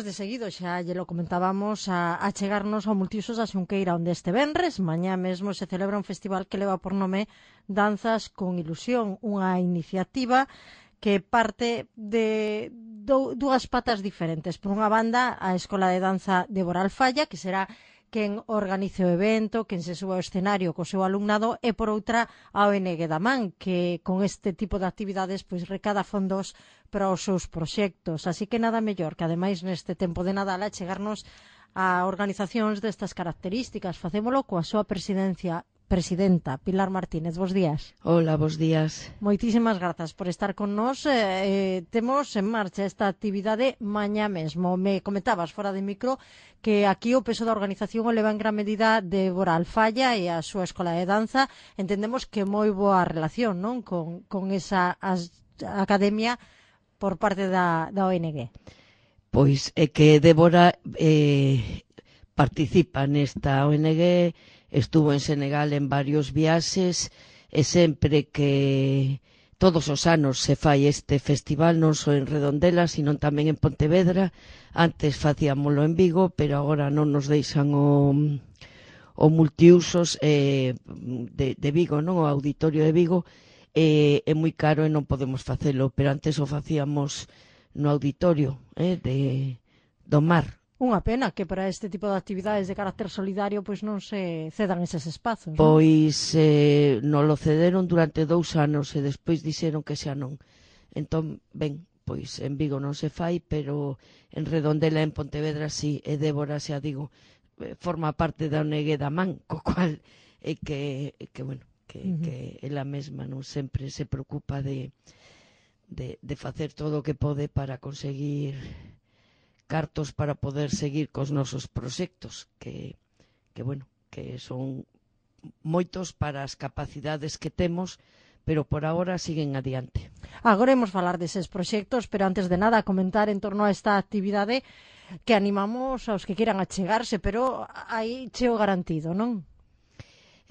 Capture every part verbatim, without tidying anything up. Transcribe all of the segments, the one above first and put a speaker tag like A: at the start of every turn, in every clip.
A: De seguido, xa lle lo comentábamos, a, a chegarnos ao Multiusos da Xunqueira, onde este venres, mañá mesmo, se celebra un festival que leva por nome Danzas con Ilusión, unha iniciativa que parte de do, dúas patas diferentes. Por unha banda, a Escola de Danza de Boral Falla, que será quen organice o evento, quen se suba ao escenario co seu alumnado, e por outra a O N G da Man, que con este tipo de actividades pois recada fondos para os seus proxectos. Así que nada mellor que ademais neste tempo de Nadal a chegarnos a organizacións destas características. Facémolo coa súa presidencia presidenta, Pilar Martínez. Bos días.
B: Hola, bos días.
A: Moitísimas grazas por estar con nós. Eh, temos en marcha esta actividade mañá mesmo. Me comentabas fora de micro que aquí o peso da organización o leva en gran medida de Boral Falla e a súa escola de danza. Entendemos que moi boa relación, non, con, con esa as, academia por parte da, da O N G.
B: Pois é que Débora eh, participa nesta O N G, estuvo en Senegal en varios viaxes e sempre que todos os anos se fai este festival, non só en Redondela, sino tamén en Pontevedra. Antes facíamolo en Vigo, pero agora non nos deixan o, o multiusos eh, de, de Vigo, non, o auditorio de Vigo, eh, é moi caro e non podemos facelo, pero antes o facíamos no auditorio eh, de, do Mar.
A: Unha pena que para este tipo de actividades de carácter solidario pois non se cedan eses espazos, non?
B: Pois eh, non lo cederon durante dous anos e despois dixeron que xa non. Entón, ben, pois en Vigo non se fai, pero en Redondela, en Pontevedra, sí, e Débora, xa digo, forma parte da O N G da Man, co cual é que, que bueno, que, uh -huh. que ela mesma non sempre se preocupa de, de, de facer todo o que pode para conseguir cartos para poder seguir cos nosos proxectos, que, que bueno, que son moitos para as capacidades que temos, pero por agora siguen adiante.
A: Agora imos falar deses proxectos, pero antes de nada comentar en torno a esta actividade que animamos aos que queiran achegarse, pero aí cheo garantido, non?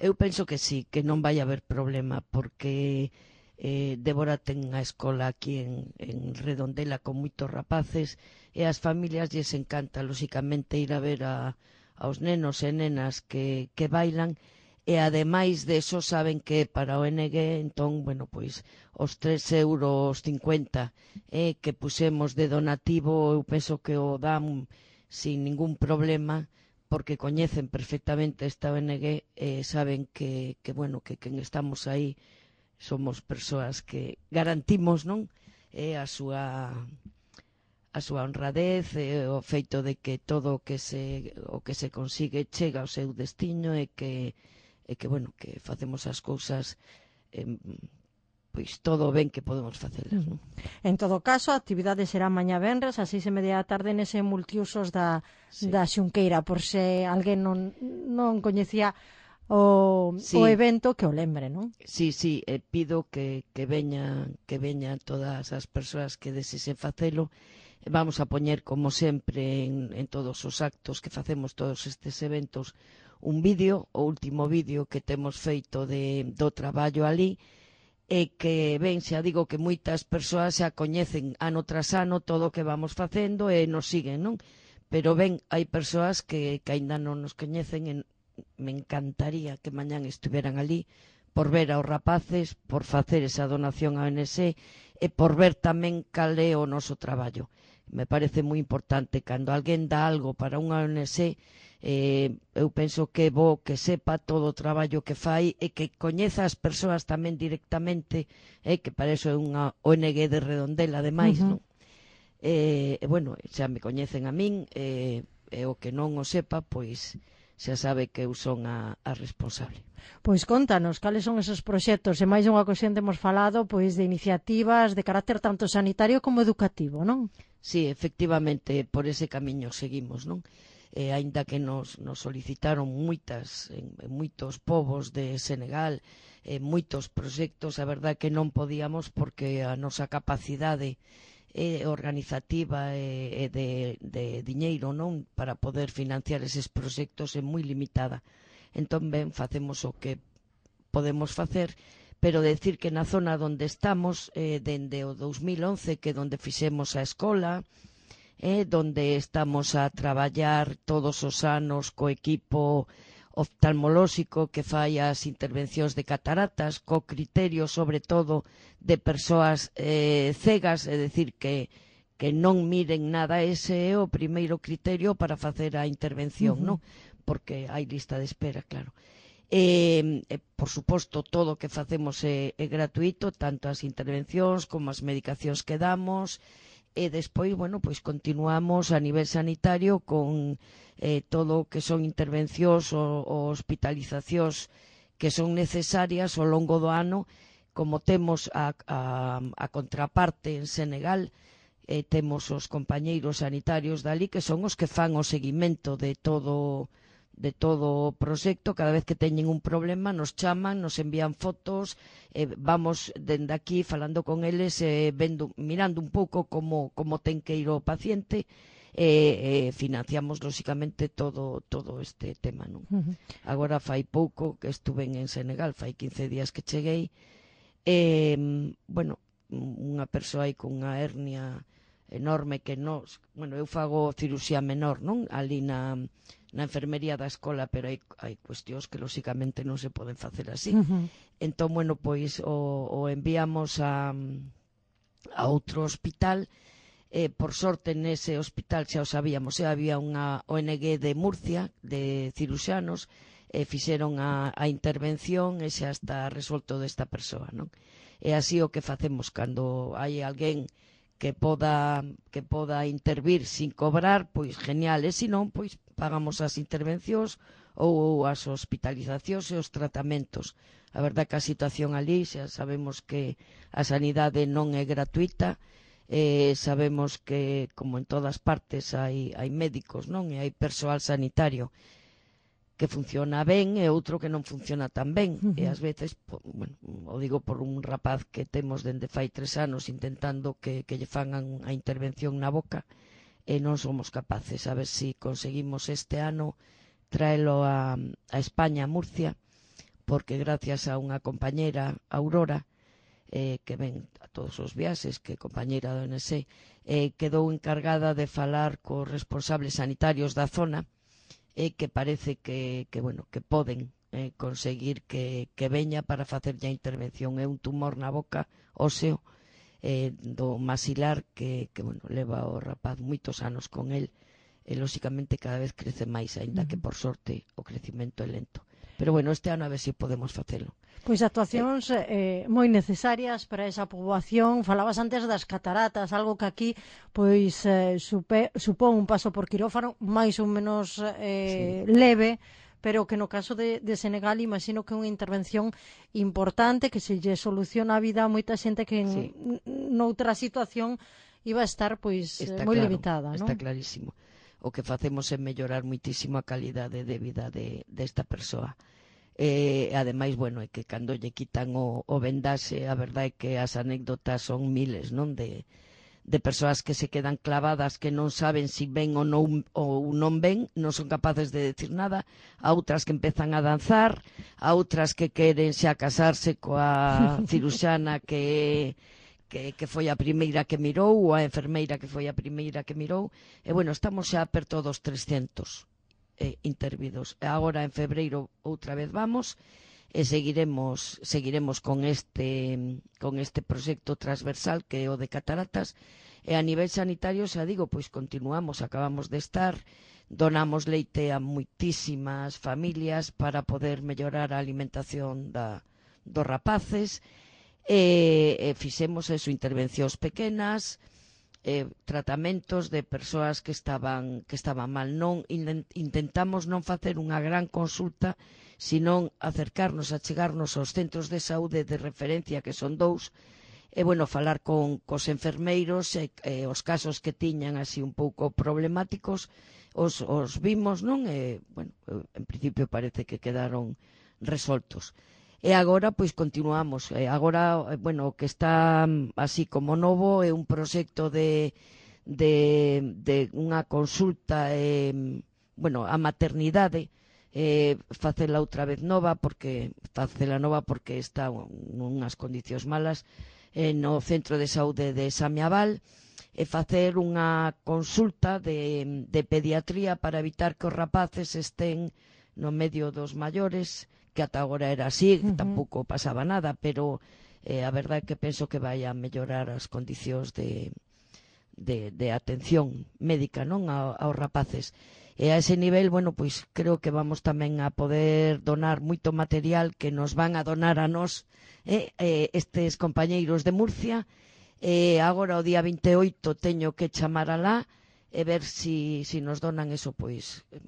B: Eu penso que sí, que non vai haber problema, porque eh, Débora ten a escola aquí en, en Redondela con moitos rapaces e as familias lles encanta, lóxicamente, ir a ver a, aos nenos e nenas que, que bailan e ademais de eso saben que para o O N G, entón, bueno, pois os tres euros cincuenta eh, que pusemos de donativo, eu penso que o dan sin ningún problema, porque coñecen perfectamente esta O N G e saben que, que bueno, que quen estamos aí somos persoas que garantimos, non, eh, a súa a súa honradez, eh, o feito de que todo o que se o que se consigue chega ao seu destino e que e que bueno, que facemos as cousas eh, pois todo o ben que podemos facelas, non?
A: En todo caso, a actividade será mañá venres a seis e media da tarde nese multiusos da, sí. da Xunqueira, por se alguén non, non coñecía o, sí. o evento, que o lembre, non?
B: Sí, sí, eh, pido que, que veñan que veñan todas as persoas que desesen facelo. Vamos a poñer, como sempre, en, en todos os actos que facemos, todos estes eventos, un vídeo, o último vídeo que temos feito de, do traballo ali, e que, ben, xa digo que moitas persoas xa coñecen ano tras ano todo o que vamos facendo e nos siguen, non? Pero, ben, hai persoas que, que aínda non nos coñecen e me encantaría que mañán estuveran ali por ver aos rapaces, por facer esa donación á O N G e por ver tamén cal é o noso traballo. Me parece moi importante cando alguén dá algo para unha O N G, eh, eu penso que é bo que sepa todo o traballo que fai e que coñeza as persoas tamén directamente, eh, que para iso é unha O N G de Redondela ademais, uh -huh. non? E, eh, bueno, xa me coñecen a min, e eh, o que non o sepa, pois xa sabe que eu son a, a responsable.
A: Pois contanos, cales son esos proxectos? E máis unha ocasión temos falado pois de iniciativas de carácter tanto sanitario como educativo, non?
B: Sí, efectivamente, por ese camiño seguimos, non? Eh, aínda que nos, nos solicitaron moitas, en, en moitos povos de Senegal, eh, moitos proxectos, a verdade que non podíamos porque a nosa capacidade eh, organizativa e eh, de, de diñeiro, non, para poder financiar eses proxectos é moi limitada. Entón, ben, facemos o que podemos facer, pero decir que na zona onde estamos, eh, dende o dous mil once, que é onde fixemos a escola, eh, donde estamos a traballar todos os anos co equipo oftalmolóxico que fai as intervencións de cataratas, co criterio sobre todo de persoas eh, cegas, é dicir que que non miren nada. Ese é o primeiro criterio para facer a intervención, uh-huh. non? Porque hai lista de espera, claro. E, e, por suposto, todo o que facemos é, é gratuito, tanto as intervencións como as medicacións que damos, e despois, bueno, pois continuamos a nivel sanitario con eh, todo o que son intervencións ou, ou hospitalizacións que son necesarias ao longo do ano, como temos a, a, a contraparte en Senegal. Eh, temos os compañeiros sanitarios dali que son os que fan o seguimento de todo de todo o proxecto. Cada vez que teñen un problema nos chaman, nos envían fotos, eh, vamos dende aquí falando con eles, eh, vendo, mirando un pouco como, como ten que ir o paciente, e eh, eh, financiamos lóxicamente todo, todo este tema, non? Uh-huh. Agora fai pouco que estuve en Senegal, fai quince días que cheguei, e, eh, bueno, unha persoa aí con unha hernia enorme que nos, bueno, eu fago cirurxía menor, non? Ali na, na enfermería da escola, pero hai, hai cuestións que lóxicamente non se poden facer así. Uh-huh. Entón, bueno, pois o, o enviamos a, a outro hospital. Eh, por sorte nese hospital xa o sabíamos, eh, había unha O N G de Murcia de cirurxanos, e eh, fixeron a, a intervención e xa está resolto desta persoa, non? E así o que facemos cando hai alguén que poda que poda intervir sin cobrar, pois genial, e se non, pois pagamos as intervencións ou as hospitalizacións e os tratamentos. A verdad que a situación ali, xa sabemos que a sanidade non é gratuita, eh, sabemos que, como en todas partes, hai, hai médicos, non? E hai persoal sanitario que funciona ben e outro que non funciona tan ben. Uh-huh. E ás veces, bueno, o digo por un rapaz que temos dende fai tres anos intentando que, que lle fagan a intervención na boca, e non somos capaces. A ver se si conseguimos este ano traelo a, a España, a Murcia, porque gracias a unha compañera, Aurora, eh, que ven a todos os viaxes, que é compañera do O N S, eh, quedou encargada de falar cos responsables sanitarios da zona, e que parece que, que, bueno, que poden eh, conseguir que, que veña para facerlle a intervención. É un tumor na boca óseo eh, do masilar que, que bueno, leva o rapaz moitos anos con el, e lóxicamente cada vez crece máis, aínda que por sorte o crecimento é lento. Pero bueno, este ano a ver se si podemos facelo.
A: Pois actuacións eh, moi necesarias para esa poboación. Falabas antes das cataratas, algo que aquí pois eh, supe, supón un paso por quirófano máis ou menos eh, sí. leve, pero que no caso de, de Senegal imagino que é unha intervención importante, que se lle soluciona a vida a moita xente que en sí. noutra situación iba a estar pois está moi claro, limitada, non?
B: Está clarísimo. O que facemos é mellorar muitísimo a calidade de vida de, desta persoa. E, ademais, bueno, é que cando lle quitan o, o vendaxe, a verdade é que as anécdotas son miles, non? De, de persoas que se quedan clavadas, que non saben se si ven ou non, ou non ven, non son capaces de decir nada, a outras que empezan a danzar, a outras que queren xa casarse coa ciruxana que... Que, que foi a primeira que mirou, ou a enfermeira que foi a primeira que mirou, e bueno, estamos xa perto dos trescentos eh, intervidos. E agora en febreiro outra vez vamos, e seguiremos seguiremos con este con este proxecto transversal que é o de cataratas, e a nivel sanitario, xa digo, pois continuamos, acabamos de estar, donamos leite a moitísimas familias para poder mellorar a alimentación da, dos rapaces. E, e fixemos eso, intervencións pequenas, eh, tratamentos de persoas que estaban que estaban mal. Non intentamos non facer unha gran consulta, senón acercarnos, achegarnos aos centros de saúde de referencia, que son dous, e bueno, falar con cos enfermeiros, e, e os casos que tiñan así un pouco problemáticos os, os vimos, non? E, bueno, en principio parece que quedaron resoltos. E agora, pois, continuamos. E agora, bueno, o que está así como novo é un proxecto de, de, de unha consulta, eh, bueno, a maternidade, eh, facela outra vez nova, porque facela nova porque está nunhas condicións malas, eh, no Centro de Saúde de Samiaval, e facer unha consulta de, de pediatría para evitar que os rapaces estén no medio dos maiores, que ata agora era así, uh -huh. tampouco pasaba nada, pero eh, a verdade é que penso que vai a mellorar as condicións de, de, de atención médica, non, a, aos rapaces. E a ese nivel, bueno, pois creo que vamos tamén a poder donar moito material que nos van a donar a nós eh, eh, estes compañeiros de Murcia. E eh, agora o día vinte e oito teño que chamar alá e ver si, si nos donan eso, pois, eh,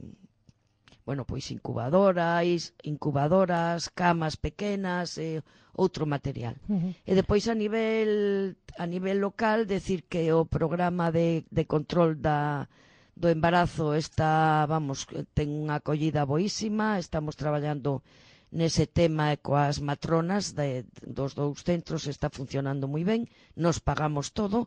B: bueno, pois incubadoras, incubadoras, camas pequenas, eh, outro material. Uh -huh. E depois a nivel a nivel local, decir que o programa de, de control da do embarazo está, vamos, ten unha acollida boísima, estamos traballando nese tema e coas matronas de, dos dous centros, está funcionando moi ben, nos pagamos todo,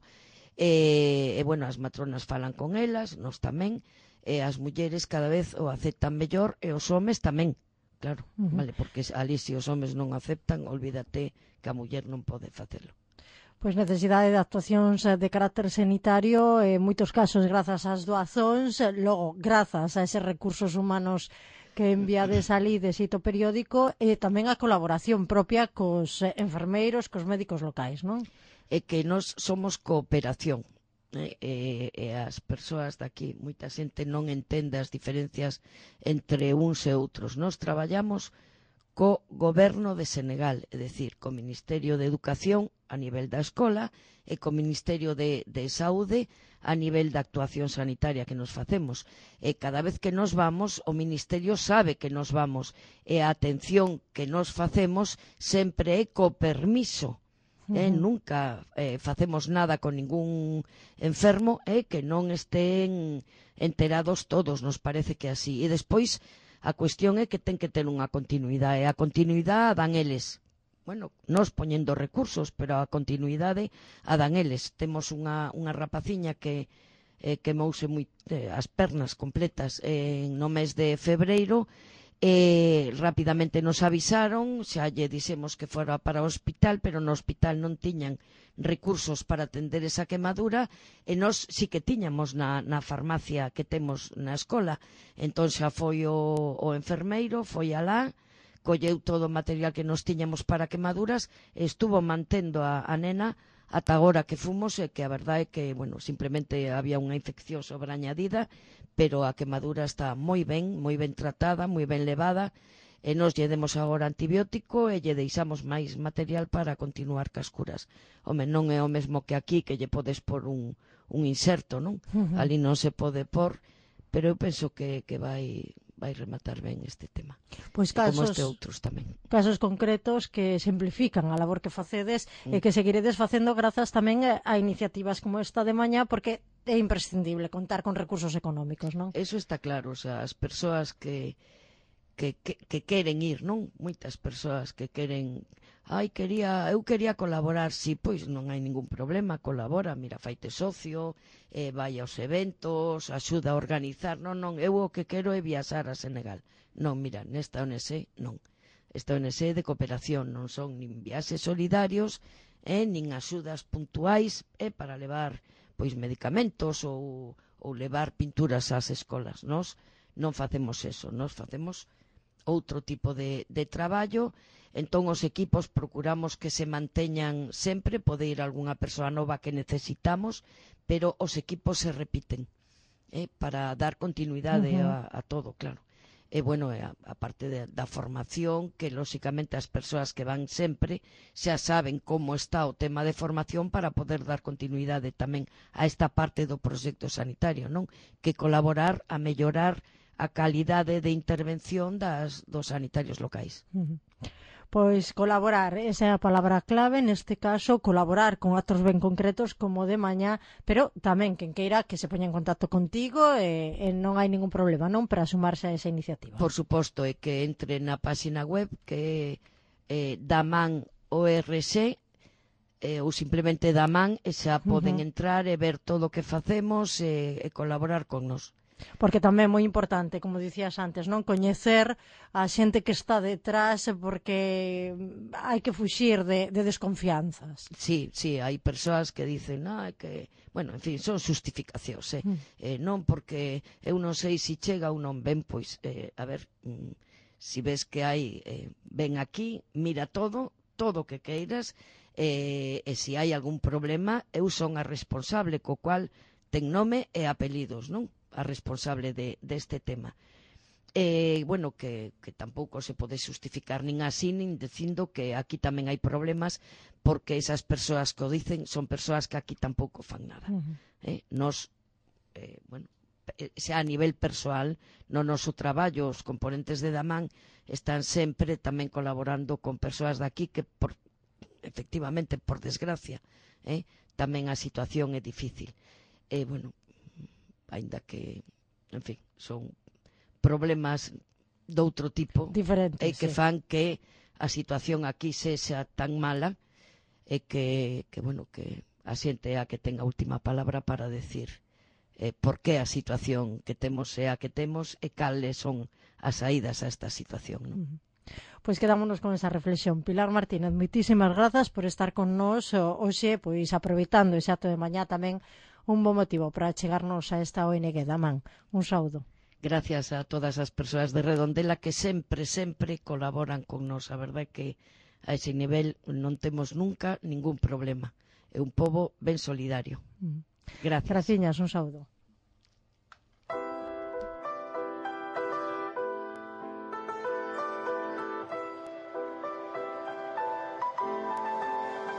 B: e, e bueno, as matronas falan con elas, nos tamén, e as mulleres cada vez o aceptan mellor, e os homes tamén, claro, uh -huh. vale, porque ali se os homes non aceptan, olvídate que a muller non pode facelo.
A: Pois necesidade de actuacións de carácter sanitario, en moitos casos grazas ás doazóns, logo grazas a eses recursos humanos que enviades ali de xeito periódico, e tamén a colaboración propia cos enfermeiros, cos médicos locais, non?
B: É que nós somos cooperación, e, e, e as persoas daqui, moita xente non entende as diferencias entre uns e outros. Nós traballamos co goberno de Senegal, é dicir, co Ministerio de Educación a nivel da escola e co Ministerio de, de Saúde a nivel da actuación sanitaria que nos facemos. E cada vez que nos vamos, o Ministerio sabe que nos vamos, e a atención que nos facemos sempre é co permiso. Eh, uh -huh. Nunca eh, facemos nada con ningún enfermo e eh, que non estén enterados todos, nos parece que así. E despois a cuestión é que ten que ter unha continuidade, e a continuidade a dan eles. Bueno, nos poñendo recursos, pero a continuidade a dan eles. Temos unha, unha rapaciña que eh, quemouse moi, eh, as pernas completas eh, no mes de febreiro, e rapidamente nos avisaron, xa lle dixemos que fora para o hospital, pero no hospital non tiñan recursos para atender esa quemadura, e nós sí que tiñamos na, na farmacia que temos na escola. Entón xa foi o, o enfermeiro, foi alá, colleu todo o material que nos tiñamos para quemaduras, e estuvo mantendo a, a nena ata agora que fomos, e que a verdade é que, bueno, simplemente había unha infección sobreañadida, pero a quemadura está moi ben, moi ben tratada, moi ben levada, e nos lle demos agora antibiótico e lle deixamos máis material para continuar cas curas. Home, non é o mesmo que aquí, que lle podes por un, un inserto, non? Uh -huh. Ali non se pode por, pero eu penso que, que vai... vai rematar ben este tema.
A: Pois casos,
B: como este outros tamén.
A: Casos concretos que simplifican a labor que facedes mm. e que seguiredes facendo grazas tamén a iniciativas como esta de mañá, porque é imprescindible contar con recursos económicos, non?
B: Eso está claro, o sea, as persoas que que, que, que queren ir, non? Moitas persoas que queren, ai, quería, eu quería colaborar, si, pois non hai ningún problema, colabora, mira, faite socio, eh, vai aos eventos, axuda a organizar, non, non, eu o que quero é viaxar a Senegal. Non, mira, nesta O N G, non. Esta O N G de cooperación, non son nin viaxes solidarios, eh, nin axudas puntuais, eh, para levar, pois, medicamentos ou, ou levar pinturas ás escolas. Nos non facemos eso, nos facemos outro tipo de, de traballo. Entón os equipos procuramos que se manteñan sempre, pode ir algunha persoa nova que necesitamos, pero os equipos se repiten, eh, para dar continuidade uh -huh. a, a todo, claro. E bueno, a, a parte de, da formación, que lóxicamente as persoas que van sempre xa saben como está o tema de formación para poder dar continuidade tamén a esta parte do proxecto sanitario, non? Que colaborar a mellorar a calidade de intervención das, dos sanitarios locais.
A: Uh -huh. Pois colaborar, esa é a palabra clave, neste caso, colaborar con actos ben concretos como de mañá, pero tamén quen queira que se poña en contacto contigo, e, e non hai ningún problema, non, para sumarse a esa iniciativa.
B: Por suposto, é que entre na página web, que é eh, Daman O R X, eh, ou simplemente Daman, e xa poden uh -huh. entrar e ver todo o que facemos e, e colaborar con nos.
A: Porque tamén é moi importante, como dicías antes, non coñecer a xente que está detrás, porque hai que fuxir de, de desconfianzas.
B: Sí, sí, hai persoas que dicen, ah, que, bueno, en fin, son justificacións, eh?
A: Mm.
B: eh non porque eu non sei se chega ou non ven, pois, eh, a ver, mm, si ves que hai, eh, ven aquí, mira todo, todo o que queiras, eh, e se hai algún problema, eu son a responsable, co cual ten nome e apelidos, non? A responsable de, deste tema. E, bueno, que, que tampouco se pode justificar nin así, nin dicindo que aquí tamén hai problemas, porque esas persoas que o dicen son persoas que aquí tampouco fan nada.
A: Uh -huh.
B: eh? Nos, eh, bueno, xa a nivel persoal, no noso traballo, os componentes de Damán están sempre tamén colaborando con persoas daqui que, por, efectivamente, por desgracia, eh, tamén a situación é difícil. E, bueno, aínda que, en fin, son problemas doutro tipo
A: diferentes,
B: e que
A: sí.
B: fan que a situación aquí sexa tan mala e que, que bueno, que a xente é a que ten a última palabra para decir eh, por que a situación que temos é a que temos e cales son as saídas a esta situación, non?
A: Uh -huh. Pois quedámonos con esa reflexión. Pilar Martínez, moitísimas grazas por estar con nós hoxe, pois aproveitando ese acto de mañá tamén un bo motivo para chegarnos a esta O N G Damán. Un saúdo.
B: Gracias a todas as persoas de Redondela que sempre, sempre colaboran con nós. A verdade é que a ese nivel non temos nunca ningún problema. É un pobo ben solidario.
A: Mm.
B: Gracias.
A: Graciñas, un saúdo.